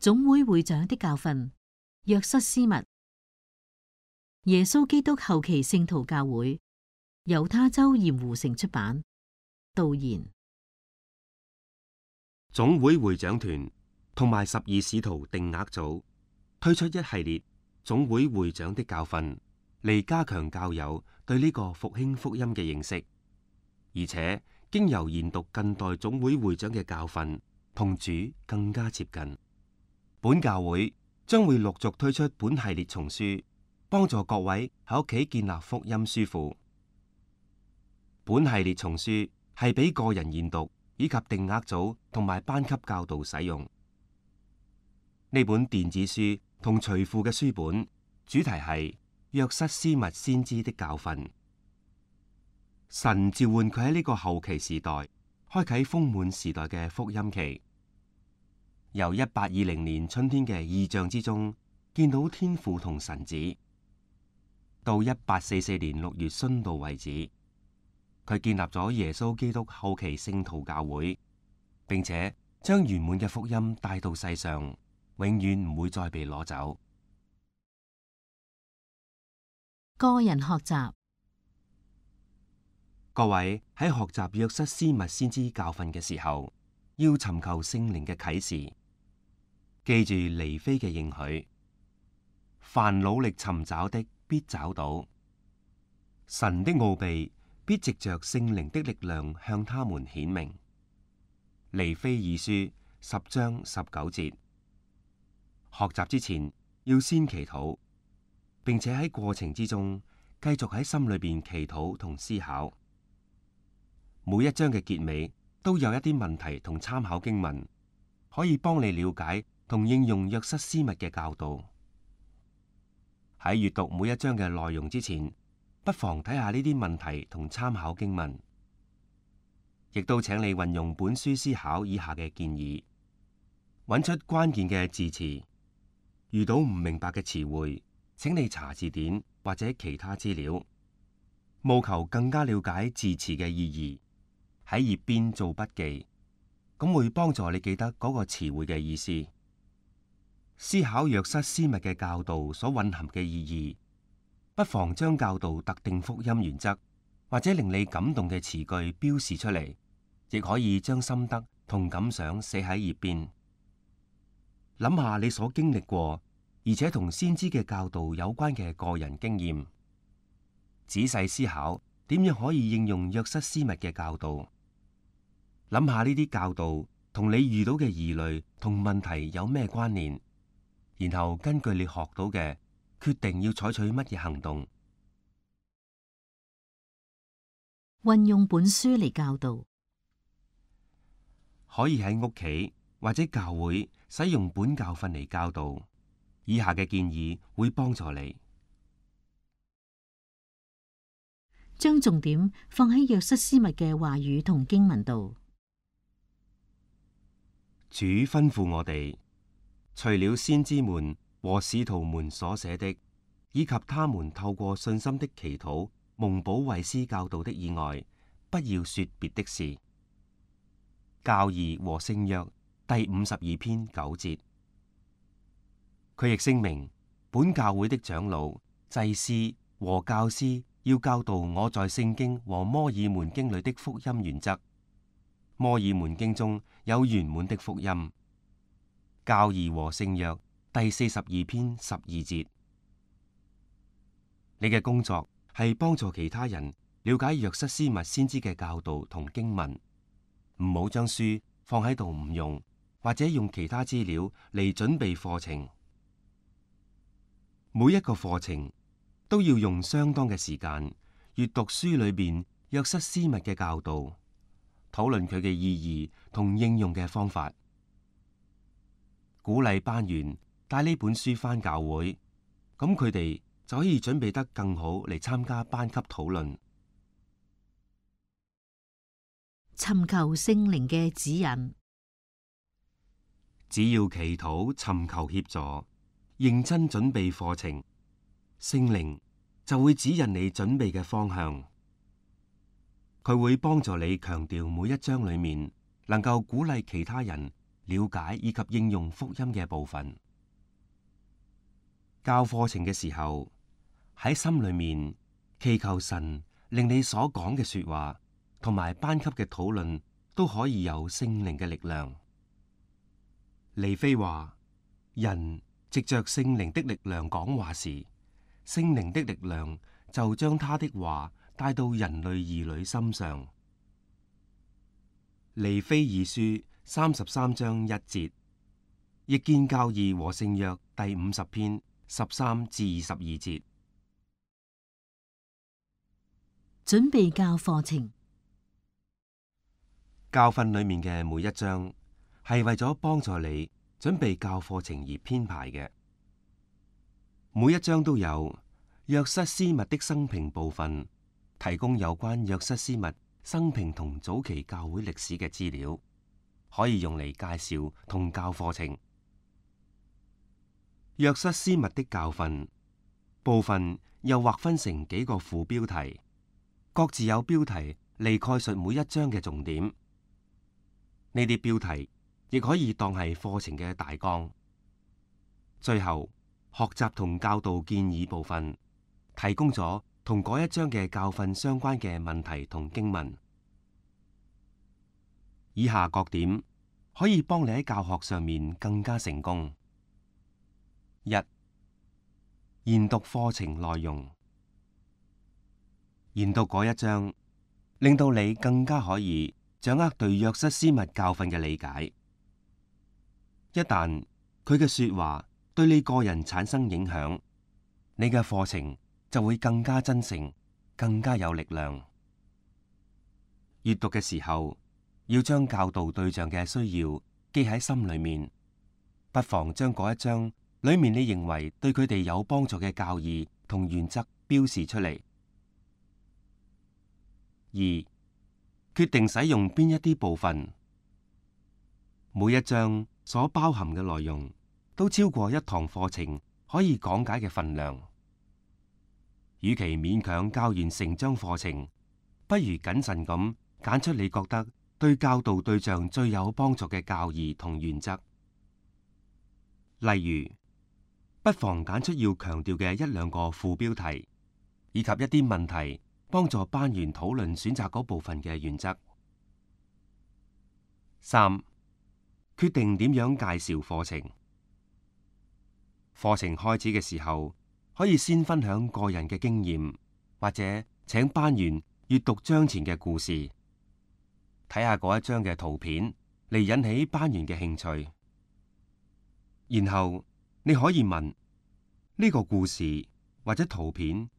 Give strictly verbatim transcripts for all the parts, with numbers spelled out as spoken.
總會會長的教訓，約瑟斯密。耶穌基督後期聖徒教會，猶他州鹽湖城出版。導言。總會會長團同埋十二使徒定額組推出一系列總會會長的教訓，嚟加強教友對呢個復興福音嘅認識，而且經由研讀近代總會會長嘅教訓，同主更加接近。本教會將會陸續推出本系列叢書，幫助各位喺屋企建立福音書庫。本系列叢書係俾個人研讀以及定額組同埋班級教導使用。呢本電子書同隨附嘅書本主題係約瑟斯密先知的教訓。神召喚佢喺呢個後期時代開啟豐滿時代嘅福音期，由一八二零年春天嘅異象之中見到天父同神子，到一八四四年六月殉道為止，佢建立咗耶穌基督後期聖徒教會，並且將圓滿嘅福音帶到世上，永遠唔會再被攞走。個人學習。各位喺學習約瑟斯密先知教訓嘅時候，要尋求聖靈嘅啟示，記住尼非嘅應許：凡努力尋找的，必找到；神的奧秘必藉着聖靈的力量向他們顯明。尼非二書十章十九節。學習之前要先祈禱，並且喺過程之中繼續喺心裏邊祈禱同思考。每一章嘅結尾都有一啲問題同參考經文，可以幫你了解同應用約瑟斯密嘅教導。喺閱讀每一章嘅內容之前，不妨睇下呢啲問題同參考經文，亦都請你運用本書思考以下嘅建議，揾出關鍵嘅字詞。遇到唔明白嘅詞彙，請你查字典或者其他資料，務求更加了解字詞嘅意義。喺頁邊做筆記，咁會幫助你記得嗰個詞彙嘅意思。思考約瑟斯密嘅教導所蘊含嘅意義，不妨將教導特定福音原則或者令你感動嘅詞句標示出嚟，亦可以將心得同感想寫喺頁邊。諗下你所經歷過而且同先知嘅教導有關嘅個人經驗，仔細思考點樣可以應用約瑟斯密嘅教導。諗下呢啲教導同你遇到嘅疑慮同問題有咩關聯，然後根據你學到嘅，決定要採取乜嘢行動。運用本書嚟教導，可以喺屋企或者教會使用本教訓嚟教導。以下嘅建議會幫助你。將重點放喺約瑟斯密嘅話語同經文度。主吩咐我哋，除了先知們和使徒們所寫的，以及他們透過信心的祈禱蒙保惠師教導的以外，不要說別的事。教義和聖約第五十二篇九節。佢亦聲明，本教會的長老、祭司和教師要教導我在聖經和摩爾門經裏的福音原則。摩爾門經中有圓滿的福音。教義和聖約第四十二篇十二節。你嘅工作係幫助其他人了解約瑟斯密先知嘅教導同經文，唔好將書放喺度唔用，或者用其他資料嚟準備課程。每一個課程都要用相當嘅時間閱讀書裏邊約瑟斯密嘅教導，討論佢嘅意義同應用嘅方法，鼓勵班員帶呢本書返教會，咁佢哋就可以準備得更好嚟參加班級討論。尋求聖靈嘅指引，只要祈禱尋求協助，認真準備課程，聖靈就會指引你準備嘅方向。佢會幫助你強調每一章裏面能夠鼓勵其他人了解以及應用福音嘅部分。教課程嘅時候，喺心裏面祈求神令你所講嘅說話同埋班級嘅討論都可以有聖靈嘅力量。尼菲話：人藉着聖靈的力量講話時，聖靈的力量就將他的話帶到人類兒女心上。尼非二書三十三章一節，亦見教義和聖約第五十篇十三至二十二節。準備教課程。教訓裏面嘅每一章係為咗幫助你準備教課程而編排嘅。每一章都有約瑟斯密的生平部分，提供有關約瑟斯密生平同早期教會歷史嘅資料，可以用嚟介紹同教課程。約瑟斯密的教訓部分又劃分成幾個副標題，各自有標題嚟概述每一章嘅重點。呢啲標題亦可以當係課程嘅大綱。最後，學習同教導建議部分提供咗同嗰一章嘅教訓相關嘅問題同經文。以下各點可以幫你喺教學上面更加成功。一、研讀課程內容，研讀嗰一章，令到你更加可以掌握對約瑟斯密教訓嘅理解。一旦佢嘅說話對你個人產生影響，你嘅課程就會更加真誠，更加有力量。閱讀嘅時候，要將教導對象嘅需要記喺心裏面，不妨將嗰一章裏面你認為對佢哋有幫助嘅教義同原則標示出嚟。二、決定使用邊一啲部分。每一章所包含嘅內容都超過一堂課程可以講解嘅份量。與其勉強教完成章課程，不如謹慎咁揀出你覺得對教導對象最有幫助嘅教義同原則。例如，不妨揀出要強調嘅一兩個副標題，以及一啲問題，幫助班員討論選擇嗰部分嘅原則。三、決定點樣介紹課程。課程開始嘅時候，可以先分享個人嘅經驗，或者請班員閱讀章前嘅故事，睇下嗰一章嘅圖片嚟引起班員嘅興趣。然後你可以問呢個故事或者圖片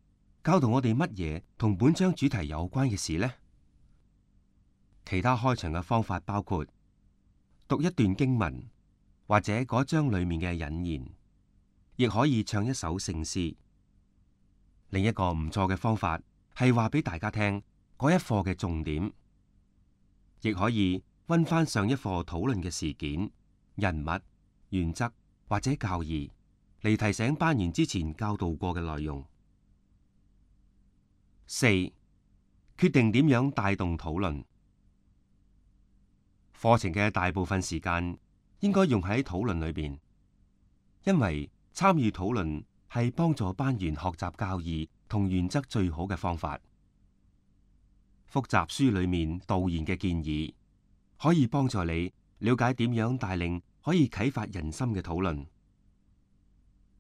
教導我哋乜嘢同本章主題有關嘅事呢？其他開場嘅方法包括讀一段經文，或者嗰章裏面嘅引言，亦可以唱一首聖詩。另一個唔錯嘅方法係話俾大家聽嗰一課嘅重點，亦可以溫翻上一課討論嘅事件、人物、原則或者教義，嚟提醒班員之前教導過嘅內容。四、決定點樣帶動討論。課程嘅大部分時間應該用喺討論裏邊，因為參與討論係幫助班員學習教義同原則最好嘅方法。複習書裏面導言嘅建議，可以幫助你了解點樣帶領可以啟發人心嘅討論。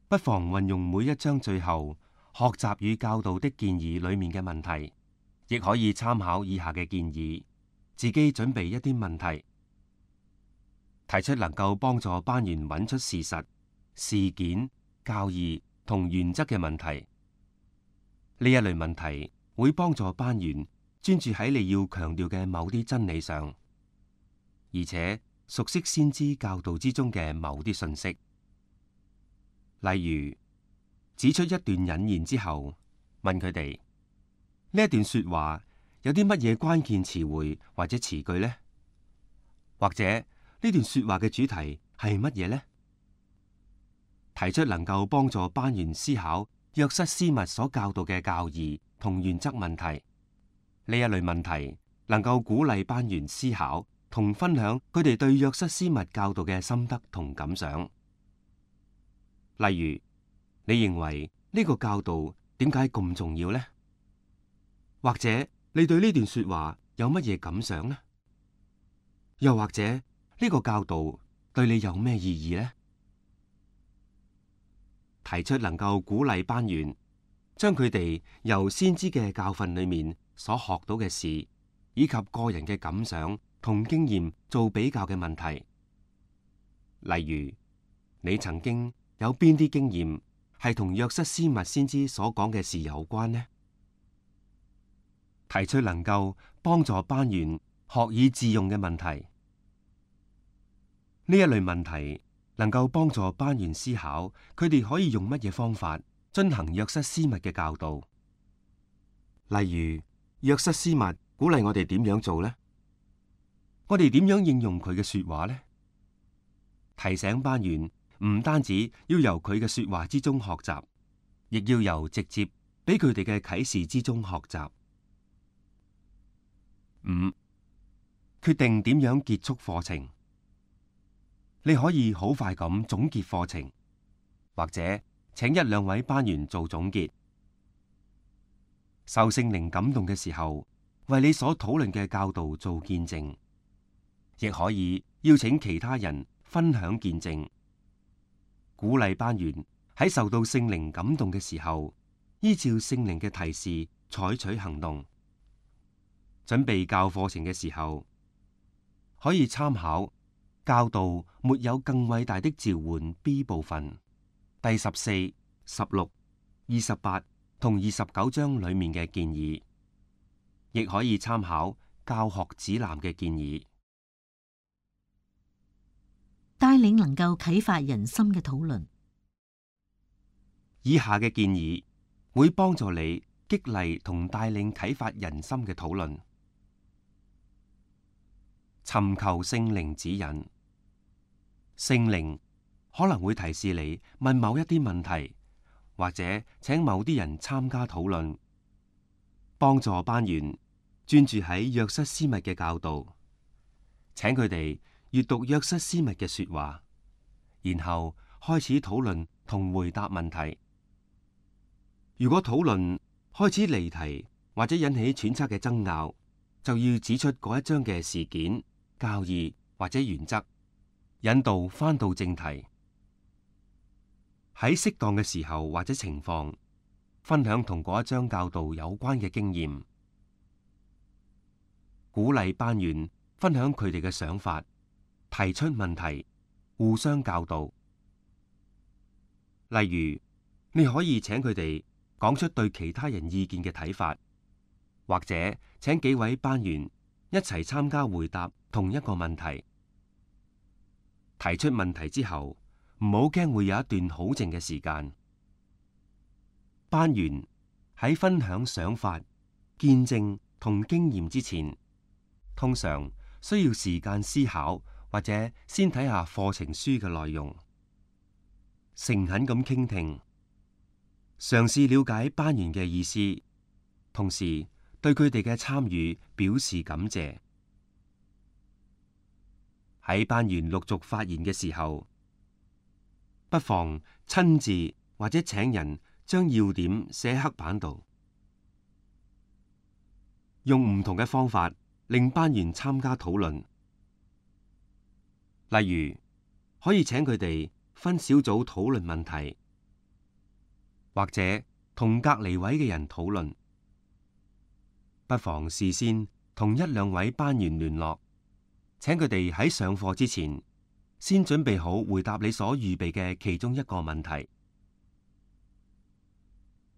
不妨運用每一章最後學習與教導的建議裏面嘅問題，亦可以參考以下嘅建議，自己準備一啲問題，提出能夠幫助班員揾出事實、事件、教義同原則嘅問題。呢一類問題會幫助班員專注喺你要強調嘅某啲真理上，而且熟悉先知教導之中嘅某啲信息。例如，指出一段引言之後，問佢哋呢一段說話有啲乜嘢關鍵詞彙或者詞句呢？或者呢段說話嘅主題係乜嘢呢？提出能夠幫助班員思考約瑟斯密所教導嘅教義同原則問題。呢一類問題能夠鼓勵班員思考同分享佢哋對約瑟斯密教導嘅心得同感想。例如，你認為呢個教導點解咁重要呢？或者你對呢段說話有乜嘢感想呢？又或者呢個教導對你有咩意義呢？提出能夠鼓勵班員將佢哋由先知嘅教訓裏面所學到嘅事，以及個人嘅感想同經驗做比較嘅問題。例如，你曾經有邊啲經驗係同約瑟斯密先知所講嘅事有關呢？提出能夠幫助班員學以致用嘅問題。呢一類問題能夠幫助班員思考，佢哋可以用乜嘢方法遵行約瑟斯密嘅教導。例如，約瑟斯密鼓勵我哋點樣做呢？我哋點樣應用佢嘅說話呢？提醒班員唔單止要由佢嘅說話之中學習，亦要由直接俾佢哋嘅啟示之中學習。五、決定點樣結束課程。你可以好快咁總結課程，或者請一兩位班員做總結。受聖靈感動嘅時候，為你所討論嘅教導做見證，亦可以邀請其他人分享見證，鼓勵班員喺受到聖靈感動嘅時候，依照聖靈嘅提示採取行動。準備教課程嘅時候，可以參考教導沒有更偉大的召喚 B 部分第十四、十六、二十八同二十九章裏面嘅建議，亦可以參考教學指南嘅建議。帶領能夠啟發人心嘅討論。以下嘅建議會幫助你激勵同帶領啟發人心嘅討論。尋求聖靈指引。聖靈可能會提示你問某一啲問題，或者請某啲人參加討論，幫助班員專注喺約瑟斯密嘅教導，請佢哋閱讀約瑟斯密嘅說話，然後開始討論同回答問題。如果討論開始離題或者引起揣測嘅爭拗，就要指出嗰一章嘅事件、教義或者原則，引導返到正題。喺適當嘅時候或者情況，分享同嗰一章教導有關嘅經驗，鼓勵班員分享佢哋嘅想法，提出問題，互相教導。例如，你可以請佢哋講出對其他人意見嘅睇法，或者請幾位班員一齊參加回答同一個問題。提出問題之後，唔好驚會有一段好靜嘅時間。班員喺分享想法、見證同經驗之前，通常需要時間思考，或者先睇下課程書嘅內容，誠懇咁傾聽，嘗試了解班員嘅意思，同時對佢哋嘅參與表示感謝。喺班員陸續發言嘅時候，不妨親自或者請人將要點寫喺黑板度，用唔同嘅方法令班員參加討論。例如，可以請佢哋分小組討論問題，或者同隔離位嘅人討論。不妨事先同一兩位班員聯絡，請佢哋喺上課之前先準備好回答你所預備嘅其中一個問題。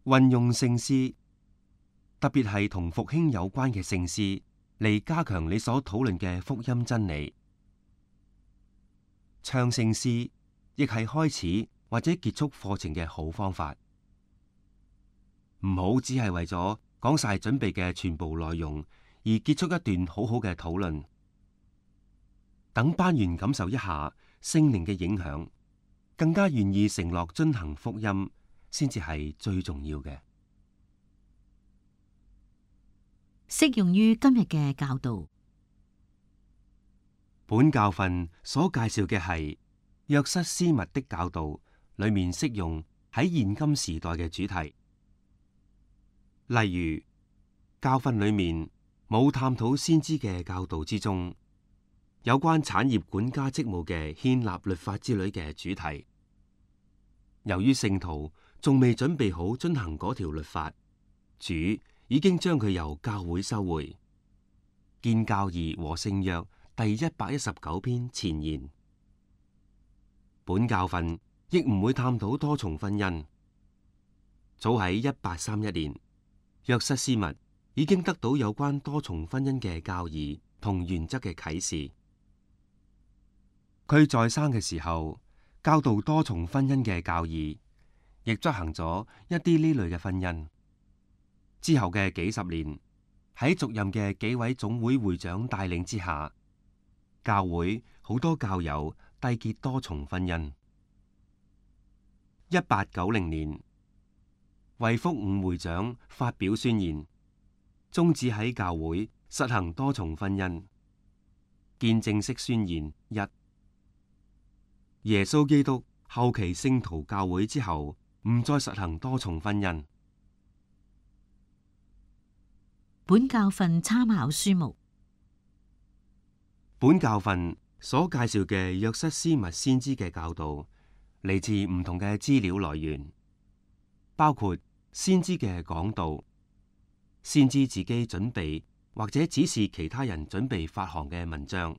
運用聖詩，特別係同復興有關嘅聖詩，嚟加強你所討論嘅福音真理。唱聖詩亦係開始或者結束課程嘅好方法。唔好只係為咗講晒準備嘅全部內容而結束一段好好嘅討論。等班員感受一下聖靈嘅影響，更加願意承諾遵行福音，先至係最重要嘅。適用於今日嘅教導。本教訓所介紹嘅係約瑟斯密的教導，裏面適用喺現今時代嘅主題。例如，教訓裏面冇探討先知嘅教導之中有關產業管家職務嘅獻立律法之類嘅主題。由於聖徒仲未準備好遵行嗰條律法，主已經將佢由教會收回。建教義和聖約第一百一十九篇前言。本教訓亦唔會探討多重婚姻。早喺一八三一年，約瑟斯密已經得到有關多重婚姻嘅教義同原則嘅啟示。佢在生嘅時候教導多重婚姻嘅教義，亦執行咗一啲呢類嘅婚姻。之後嘅幾十年，喺續任嘅幾位總會會長帶領之下，教會好多教友締結多重婚姻。一八九零年，衛福五會長發表宣言，終止喺教會實行多重婚姻。見正式宣言一：耶穌基督後期聖徒教會之後，唔再實行多重婚姻。本教訓參考書目。本教訓所介紹嘅約瑟斯密先知嘅教導，嚟自唔同嘅資料來源，包括先知嘅講道、先知自己準備或者指示其他人準備發行嘅文章、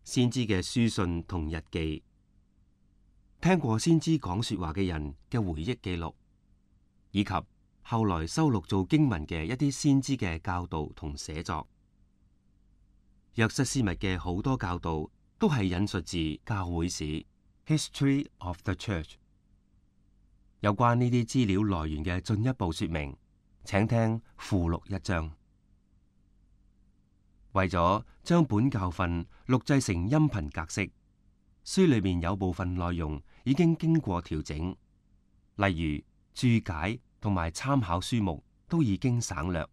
先知嘅書信同日記、聽過先知講說話嘅人嘅回憶記錄，以及後來收錄做經文嘅一啲先知嘅教導同寫作。約瑟斯密嘅好多教導都係引述自教會史 （History of the Church）。有關呢啲資料來源嘅進一步說明，請聽附錄一章。為咗將本教訓錄製成音頻格式，書裏面有部分內容已經經過調整，例如注解同埋參考書目都已經省略。